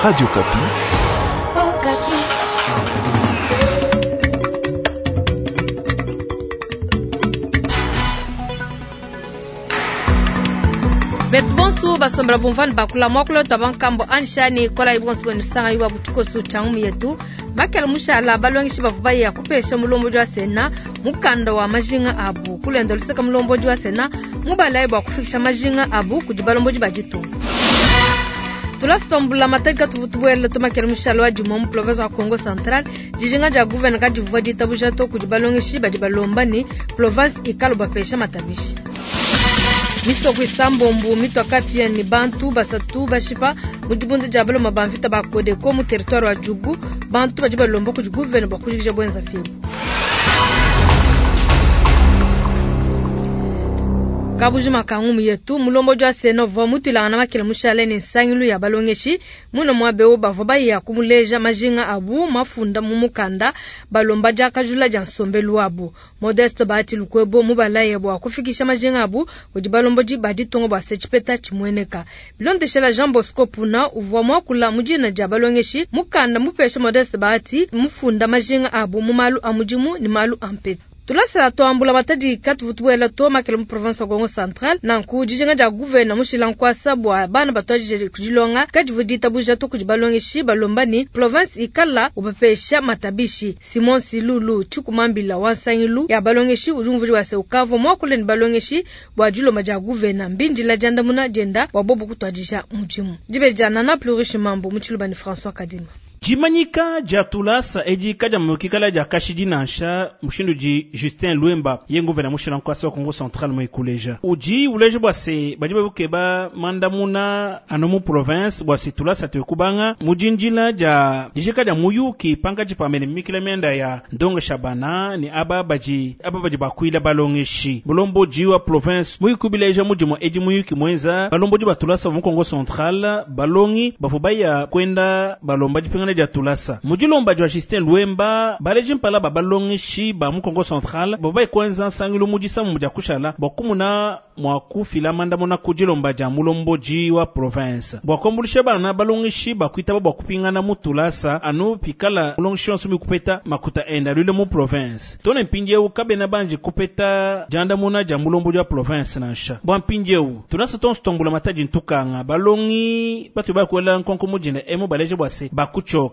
Radio Okapi. Betu bonso basombela bumvani bakula muakula twa bankambo anshani kola ibonso benu sanga yuba butukosu changu yetu bakela mushala balongeshi bavua baya kupesha mulombodi wa sena mukanda wa majinga abu kulenda luseka mulombodi wa sena mubalayi bua kufikisha majinga abu kudi balombodi ba ditunga. Tulasi matadi katuvu tubuela tumakela mushala wa dimue mu province wa Kongo Central. Dijinga dia gouverne kadivua ditabuja to kudi balongeshi badi balomba ne province ikalo bapesha matabishi. Misoko isambombo mitwa kapia ni bantu basatu bashipa mu dibunda dia baloma ba mvita ba Kodeko mu territoire wa Djugu. Bantu badi balomba kudi gouverne bua kujikija bwenza fibu. Kabujima ka ngumu yetu mulombodi wa sena uvua mutuilangana makela mushale ne nsangilu ya balongeshi muno muabe bavua baya kumuleja majinga abu mafunda mu mukanda balomba diakajula dia nsombelu wabu. Modeste Bahati Lukwebo mubalaye bua kufikisha majinga abu kudi balombodi ba ditunga bua se tshipeta tshimueneka. Bilondeshela Jean Bosco Puna uvua muakula mu dina dia balongeshi mukanda mupesha Modeste Bahati mufunda majinga abu mu malu a mudimu ne malu a mpetu. Tulasa twambula matadi katuvu tubuela to makela mu province wa Kongo Central nanku dijinga dia gouverne mushila nkwasa bua bana batwajije kudilonga kadivu ditabuja to kudi balongeshi balomba ni province ikala ubapesha matabishi. Simon Silulu Tshikumambila wa nsangilu ya balongeshi udi umvuija bua se ukavua muakule ne balongeshi bua dilomba dia gouverne mbindila diandamuna dienda bua bobu kutwadija mudimu. Dibe dia Nana Plurish Mambo mu Tshiluba ne François Kadima. Dimanyika dia tulasa edi kadia mukikala dia kashidi nansha mushindu di Justin Luemba ye nguvena mushila nkwasa wa Kongo Central mu ikuleja. Udi uleja bua se badi babukeba mandamuna anu mu province bua se tulasa tuekubanga mu dinjila dia dijika dia muyuki pankatshi pa mene mikila mianda ya ndongo shabana ni aba badi aba badi bakuila balongeshi. Mulombodi wa province muyikubileja mudimu edi muyuki mwenza balombodi ba tulasa mu Kongo Central balongi bavua baya kwenda balomba dipingana dia tulasa. Mudilomba dia Justin Luemba baleji mpala ba balongeshi ba mu Kongo Central bavua baikwenza nsangilu mudisa mu dia kushala bua kumuna mua kufila mandamuna ku dilomba dia mulombodi wa province bua kuambulisha bana balongeshi bakuitaba bua kupingana mu tulasa anu pikala mulongeshi yonso mikupeta makuta enda lwile mu province tone mpindieu kabena banji kupeta diandamuna dia mulombodi wa province nansha bua mpindieu tulasa tonso tombula matadi ntukanga balongi batu bakuela nkonko mudinda emu baleje bua se bakuchoka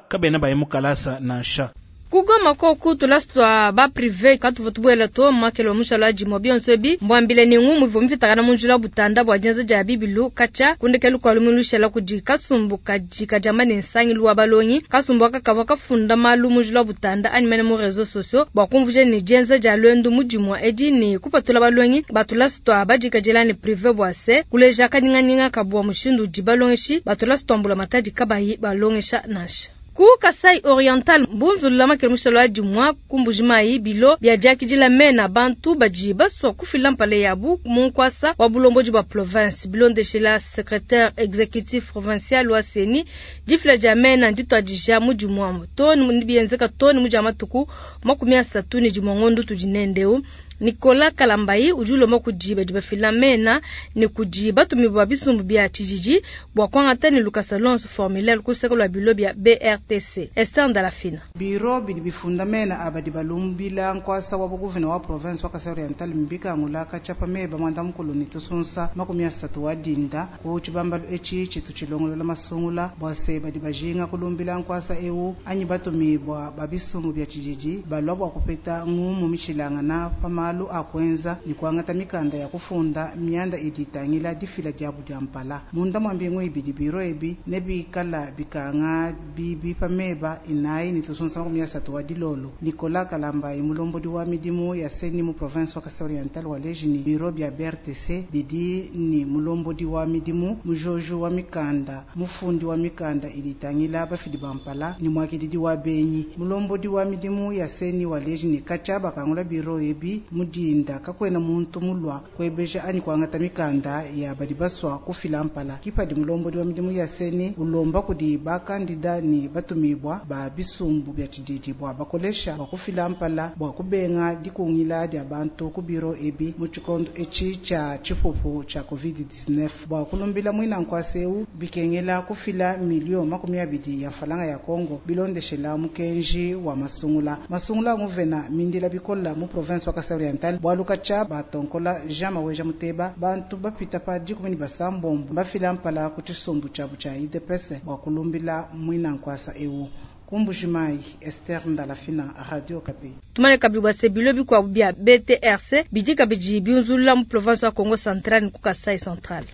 kabena baye mu kalasa nansha. Kugoma koku tulasi twa ba privé katuvu tubuela to makelo wa mushala dimue bionso ebi mbwambile ne ngumu ivua mipitakana mu njila butanda bua dienza dia bibilu katshia kundekelu kua lumu lushala kudi kasumbu kadi kadiamba ne nsangilu wa balongi. Kasumbu aka kavua kafunda malu mu njila butanda anyi mene mu réseaux sociaux bua kumvuija ne dienza dia luendu mu dimue edi ne kupatula balongi ba tulasi twa badikadila ne privé bua se kuleja kanyinganyinga kabua mushindu udi balongeshi ba tulasi twambula matadi kabayi balongesha nansha. Ku Kasai Oriental mbunzulula makele mushalo wa dimua ku Mbujimayi bilo bia diakidila mena bantu badi basua kufila mpala yabu mu nkwasa wa bulombodi bua province. Bilondeshela secrétaire exécutif provincial wa CENI difila dia mena ndituadija mu dimua to ni bienzeka to ni mudia matuku 31 ngondo tudi nendeu. Nicolas Kalambayi udi ulomba kudi badi bafila mena ne kudi batumi ba bisumbu bia tshijiji bua kuangata ne lukasa lonso formulaire kuseka lua bilo bia BRTC. Esther Ndalafina. Biro bidi bifunda mena abadi balumbila nkwasa wa buguvena wa province wa Kasai Oriental mbika ngulaka chapa meba mwanda mukulu ni tusunsa 30 wa dinda ku tshibambalu eci tshitu tshilongolola masungula bua se badi bajinga kulumbila nkwasa ewu anyi batumi bua ba bisumbu bia tshijiji balwa bua kupeta ngumu mishilangana pa malu a kuenza ni kuangata mikanda ya kufunda mianda idi itangila difila diabu dia mpala munda mwa mbingu ibidi biro ebi ne bikala bikanga bibi pa meba inayi ni tusunsa 30 wa dilolo. Nicolas Kalambayi mulombodi wa midimu ya CENI mu province wa Kasai Oriental wa lejini biro bia BRTC bidi ni mulombodi wa midimu mujojo wa mikanda mufundi wa mikanda idi itangila bafidi ba mpala ni mwakididi wa benyi mulombodi wa midimu ya CENI wa lejini kacha bakangula biro ebi. Mu dinda kakuena muntu mulua kuebeja anyi kuangata mikanda ya badi basua kufila mpala. Ki padi mulombodi wa midimu ya CENI ulomba kudi ba kandida ni batumibua ba bisumbu bia tshididi bua bakolesha bua kufila mpala bua kubenga dikungila dia bantu ku biro ebi mu tshikondo etshi tshia tshipupu tshia Covid-19. Bua kulumbila muina nkuasa eu bikengela kufila milio 20 ya mfalanga ya Congo bilondeshela mukenji wa masungula. Masungula nguvena mindila bikola mu province wa Kasai Oriental bualu katshia batonkola Jean Maweja Muteba bantu bapita pa 16 bafila mpala ku tshisumbu tshiabu tshia UDPS bua kulumbila muina nkuasa eu. Ku Mbujimayi, Esther Ndalafina, Radio Okapi. Tumane kabidi bua se bilo bikuabu bia BTRC bidi kabidi biunzulula mu province wa Kongo Central ne ku Kasai Central.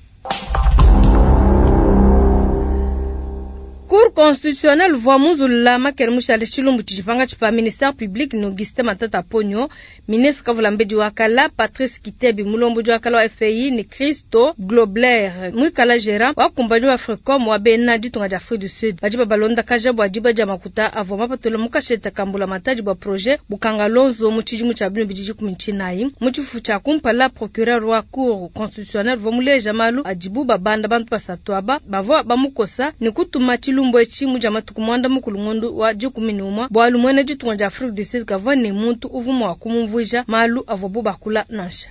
Cour constitutionnelle uvua munzulula makele mushale tshilumbu tshidi pankatshi pa ministère public ne Augustin Matata Ponyo, ministre kavulambedi wa kala Patrice Kitebi, mulombodi wa kala wa FPI ne Christo Grobler, muikala gérant wa kumpanyi wa Africom wa bena ditunga dia Afrique du Sud. Badi babalondakaja bua diba dia makuta avua mapatula mu kasheta ka mbulamatadi bua projet Bukangalonzo mu tshidimu tshia 2019. Mu tshifufu tshia kumpala, procureur wa Cour constitutionnelle uvua muleja malu adibu babanda bantu basatu aba bavua bamukosa ne kutuma tshilumbu etshi mu dia matuku 10 ngondo wa 11, bualu muena ditunga dia Afrique du Sud kavua ne muntu uvua mua kumumvuija malu avuabu bakula nansha.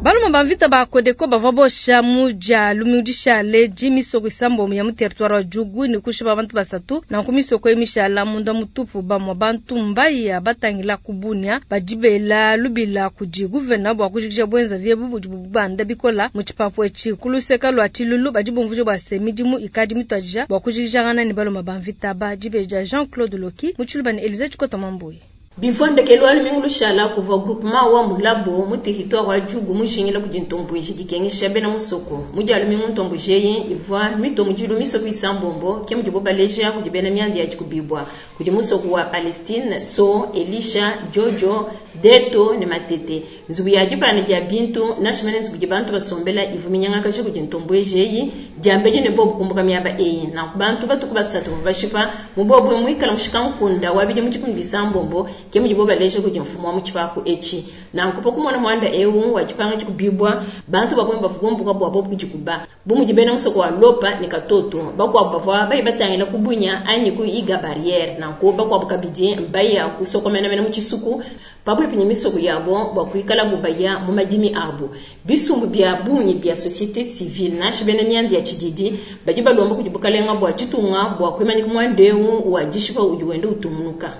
Balume ba mvita ba Codeco bavua bosha mu dia lumingu dishale di misoko isambombo ya mu territoire wa Djugu ne kushipa bantu basatu. Nanku misoko eyi mishala munda mutupu, bamue bantu mbaya batangila ku Bunia badi bela lubila kudi gouverneur bua kujikija buenzavi ebu budi bubanda bikola mu tshipapu etshi. Ku luseka lua Tshilulu badi bumvuija bua se midimu ikadi mituadija bua kujikijangana ne balume ba mvita ba dibeji dia Jean-Claude Loki mu Tshiluba ne Elysée Tshikota Mambuyi. Bivua ndekelu wa lumingu lushala kuvua groupement wa Mulabo mu territoire wa Djugu mujingila kudi ntomboji dikengesha bena musoko. Mu dia lumingu ntomboji eyi ivua mitue mudilu misoko isambombo ke mudibo baleja kudi bena mianda ya dikubibua kudi musoko wa Palestine, So, Elisha, Jojo, Deto ne Matete. Nzubu ya dipana dia bintu nansha mene nzubu idi bantu basombela ivua minyangakaja kudi ntomboji eyi diambedi ne bobu kumbuka miaba eyi. Nanku bantu batuku basatu bavua bashipa mu bobu muikala mushikankunde wa bidimu 16 ke mudibo baleja kudi mfumu wa mu tshipapu etshi. Nanku pa kumona muanda eu wa dipanga dikubibua bantu bavua bavua bumbuka bua bobu kudikuba bu mudi bena musoko wa Lopa ne Katoto bakuabu bavua bayi batangila ku Bunia anyi ku Iga barriere. Nanku bakuabu kabidi mbaya kusokomenamena mu tshisuku pabuipi ne misoko yabo bua kuikalabu baya mu madimi abu. Bisumbu bia bungi bia société civile nansha bena mianda ya tshididi badi balomba kudi bukalenga bua tshitunga bua kuimanyika muanda eu wa dishipa udi wenda utungunuka.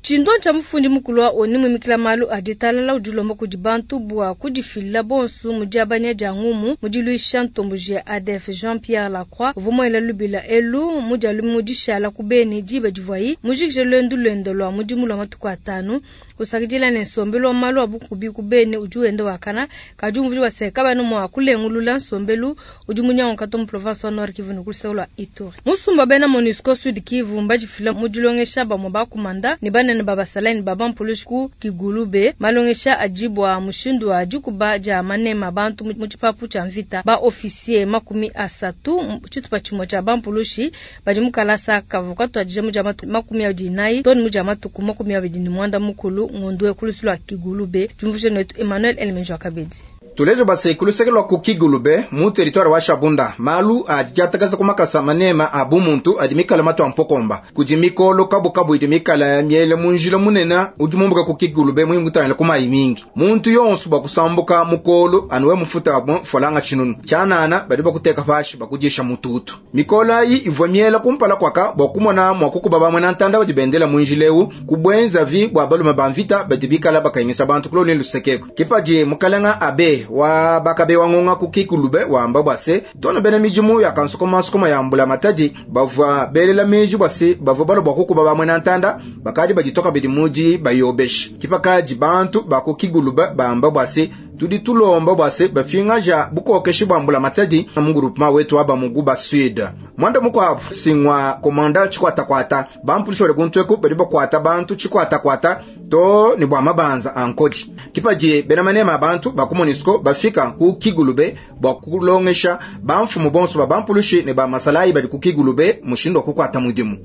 Tshindo tshia mufundi mukulu wa ONU muimikila malu a ditalala udi ulomba kudi bantu bua kudifila bonso mu diabanya dia ngumu mu diluisha ntomboji ya ADF. Jean-Pierre Lacroix uvua muela lubila elu mu dia lumingu dishala ku Beni diba divuayi mujikije luendu luende lua mudimu lua matuku atanu. Kusakidila ne nsombelu wa malu a bukubi ku Beni udi wenda wakana kadi umvuija bua se kabana mua kulengulula nsombelu udi munyanguka to mu province wa Nord Kivu ne ku luseke lua Ituri. Musumba bena MONUSCO Sud Kivu mbadifila mu dilongesha bamue bakumanda ne banene ba basalayi ne ba bampulushi ku Kigulube malongesha adi bua mushindu wa dikuba dia manema bantu mu tshipapu tshia mvita. Ba officier 30 tshitupa tshimue tshia bampulushi badi mu kalasa kavua katuadija mu dia matuku 24 too ne mu dia matuku 29 ngondo ku lusu lua Kigulube. Diumvuija netu Emmanuel Elemenjo Kabedi. Tulejo base ku luseke lua ku Kigulube mu territoire wa Shabunda malu adi diatakaza ku makasa manema a bumuntu adi mikala matu a mpokomba kudi mikolo kabukabu idi mikala miele mu njila munene udi mumbuka ku Kigulube muyi mutangila ku mayi mingi muntu yonso bua kusambuka mukolo anuwe mufuta bo folanga tshinunu tshianana badi bakuteka pashi bakudisha mututu mikolo ayi ivua miela kumpala kwaka bua kumona mua kukuba bamwe na ntanda badi bendela mu njila eu kubwenza vi bua balume ba mvita badi bikala bakayingisa bantu kuloni lusekeko kipadi mukalenga abe wa bakabe wa ngonga ku Kigulube wamba bua se tona bena midimu ya kansukoma sukoma ya mbula matadi bavua belela meji bua se bavua balo bua kukuba bamwe na ntanda bakadi baditoka bidi muji bayobesha kipakadi bantu ba ku Kigulube bamba bua se tudi tulomba bua se bafingaja bukokeshi bua mbula matadi mu groupement wetu wa bamuguba sud mwanda mukwabu singwa komanda chikwatakwata bampulisha bali kuntweku badi bakwata bantu chikwatakwata to ni bwa mabanza ankodi kipaji bena manema abantu ba ku MONUSCO bafika ku Kigulube bua kulongesha bamfumu bonso ba bampulushi ne ba masalayi badi ku Kigulube mushindo wa kukwata mudimu.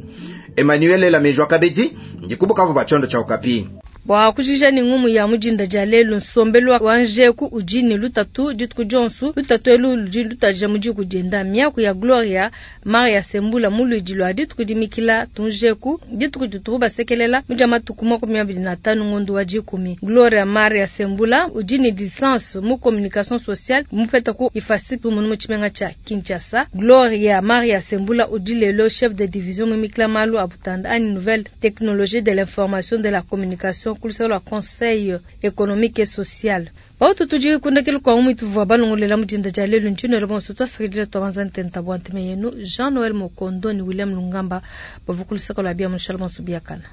Emmanuel Lamejwa kabedi ndikubukavu ba tshiondo tshia Okapi. Bua kujija ne ngumu ya mudinda dia lelu, nsombelu wa njeku udi ne lutatu dituku dionso. Lutatu elu ludi lutaja mu diku dienda. Miaku ya Gloria Maria Sembula mu luidi lua dituku dimikila tunjeku dituku ditubu basekelela mu dia matuku 25 ngondo wa 10. Gloria Maria Sembula udi ne licence mu communication sociale mupeta ku IFASIC mu tshimenga tshia Kinshasa. Gloria Maria Sembula udi lelo chef de division mu mikila malu a butanda anyi nouvelle technologie de l'information de la communication kulusaka lua conseil économique et social. Bautu tudi kundekelu kwa umu ituvua balongolela mudinda dia lelu ntshino bonso twasakidila twabanza ntenta bua nteme yenu Jean Noël Mokondo ni William Lungamba bavua kulusaka lua bia mushala bonso biakana.